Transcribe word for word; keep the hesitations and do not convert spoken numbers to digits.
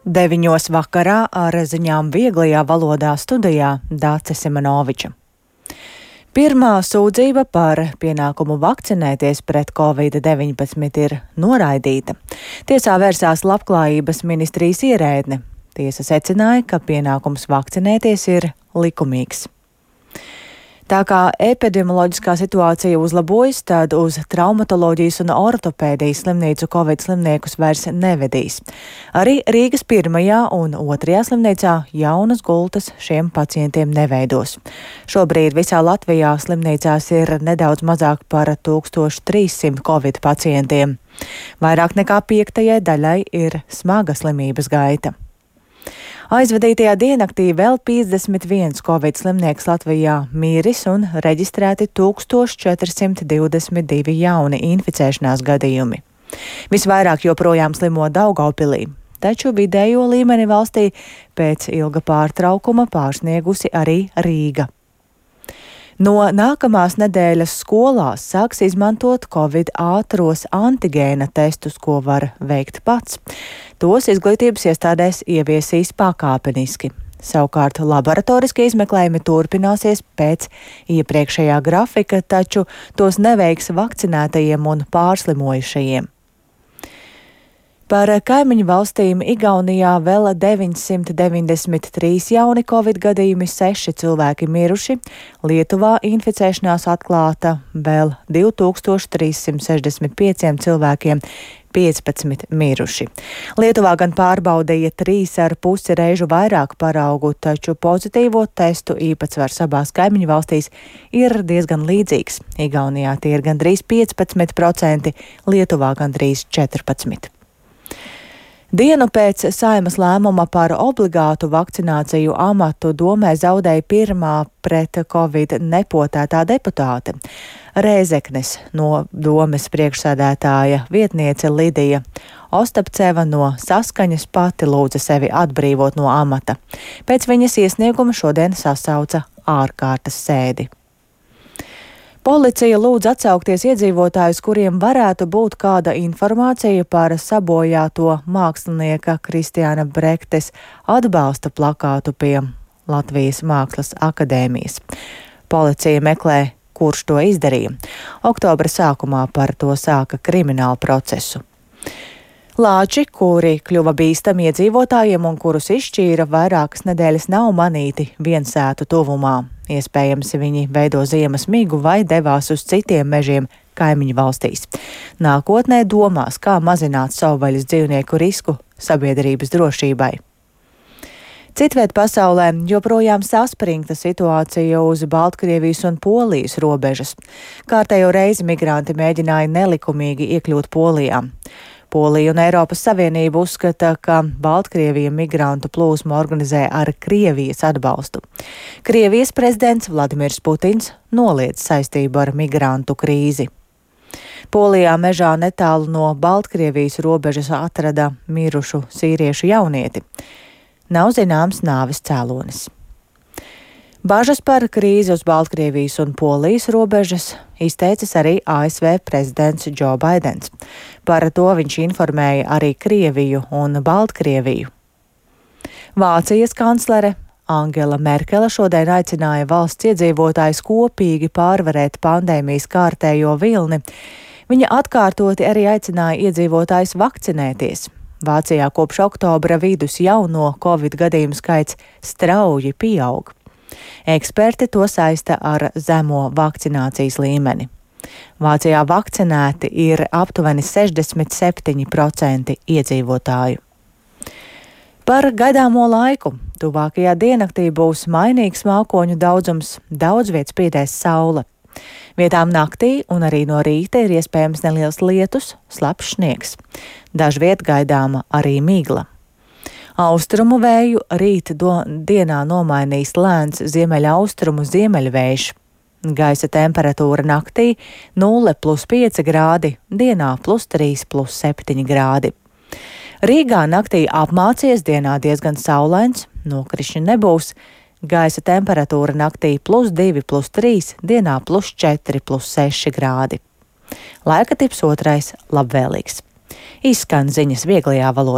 Deviņos vakarā ar ziņām vieglajā valodā studijā Dāce Simanoviča. Pirmā sūdzība par pienākumu vakcinēties pret covid deviņpadsmit ir noraidīta. Tiesā vērsās Labklājības ministrijas ierēdne. Tiesa secināja, ka pienākums vakcinēties ir likumīgs. Tā kā epidemioloģiskā situācija uzlabojas, tad uz traumatoloģijas un ortopēdijas slimnīcu covid slimniekus vairs nevedīs. Arī Rīgas pirmajā un otrajā slimnīcā jaunas gultas šiem pacientiem neveidos. Šobrīd visā Latvijā slimnīcās ir nedaudz mazāk par tūkstoš trīssimt covid pacientiem. Vairāk nekā piektajai daļai ir smaga slimības gaita. Aizvadītajā diennaktī vēl piecdesmit viens covid slimnieks Latvijā miris un reģistrēti tūkstoš četri simti divdesmit divi jauni inficēšanās gadījumi. Visvairāk joprojām slimo Daugavpilī, taču vidējo līmeni valstī pēc ilga pārtraukuma pārsniegusi arī Rīga. No nākamās nedēļas skolās sāks izmantot covid ātros antigēna testus, ko var veikt pats. Tos izglītības iestādēs ieviesīs pakāpeniski. Savukārt laboratoriskie izmeklējumi turpināsies pēc iepriekšējā grafika, taču tos neveiks vakcinētajiem un pārslimojušajiem. Par kaimiņu valstīm Igaunijā vēl deviņsimt deviņdesmit trīs jauni covid gadījumi, seši cilvēki miruši, Lietuvā inficēšanās atklāta vēl divi tūkstoši trīs simti sešdesmit pieciem cilvēkiem, piecpadsmit miruši. Lietuvā gan pārbaudīja trīs ar pusi reižu vairāk paraugu, taču pozitīvo testu īpatsvars abās kaimiņu valstīs ir diezgan līdzīgs. Igaunijā tie ir gandrīz piecpadsmit procenti, Lietuvā gandrīz četrpadsmit procenti. Dienu pēc Saeimas lēmuma par obligātu vakcināciju amatu domē zaudēja pirmā pret covid nepotētā deputāte. Rēzeknes no domes priekšsēdētāja vietniece Lidija Ostapceva no Saskaņas pati lūdza sevi atbrīvot no amata. Pēc viņas iesnieguma šodien sasauca ārkārtas sēdi. Policija lūdz atsaukties iedzīvotājus, kuriem varētu būt kāda informācija par sabojāto mākslinieka Kristiāna Brektes atbalsta plakātu pie Latvijas Mākslas akadēmijas. Policija meklē, kurš to izdarīja. Oktobra sākumā par to sāka kriminālu procesu. Lāči, kuri kļuva bīstami iedzīvotājiem un kurus izšķīra vairākas nedēļas, nav manīti viensētu tuvumā. Iespējams, viņi veido ziemas migu vai devās uz citiem mežiem kaimiņu valstīs. Nākotnē domās, kā mazināt savvaļas dzīvnieku risku sabiedrības drošībai. Citviet pasaulē joprojām saspringta situācija uz Baltkrievijas un Polijas robežas. Kārtējo reizi migranti mēģināja nelikumīgi iekļūt Polijā. Polija un Eiropas Savienība uzskata, ka Baltkrievija migrantu plūsmu organizē ar Krievijas atbalstu. Krievijas prezidents Vladimirs Putins noliedz saistību ar migrantu krīzi. Polijā mežā netālu no Baltkrievijas robežas atrada mirušu sīriešu jaunieti. Nav zināms nāves cēlonis. Bažas par krīzi uz Baltkrievijas un Polijas robežas izteicis arī A S V prezidents Džo Baidens. Par to viņš informēja arī Krieviju un Baltkrieviju. Vācijas kanclere Angela Merkele šodien aicināja valsts iedzīvotājus kopīgi pārvarēt pandēmijas kārtējo vilni. Viņa atkārtoti arī aicināja iedzīvotājus vakcinēties. Vācijā kopš oktobra vidus jauno covid gadījumu skaits strauji pieaug. Eksperti to saista ar zemo vakcinācijas līmeni. Vācijā vakcinēti ir aptuveni sešdesmit septiņi procenti iedzīvotāju. Par gaidāmo laiku. Tuvākajā diennaktī būs mainīgs mākoņu daudzums, daudz viet spīdēs saule. Vietām naktī un arī no rīta ir iespējams neliels lietus, slapjš sniegs. Dažviet gaidāma arī migla. Austrumu vēju rīt do, dienā nomainīs lēns ziemeļaustrumu ziemeļvējš. Gaisa temperatūra naktī nulle plus pieci grādi, dienā plus trīs plus septiņi grādi. Rīgā naktī apmācies, dienā diezgan saulains, nokrišņi nebūs. Gaisa temperatūra naktī plus divi plus trīs, dienā plus četri plus seši grādi. Laika tips otrais labvēlīgs. Izskan ziņas vieglajā valodā.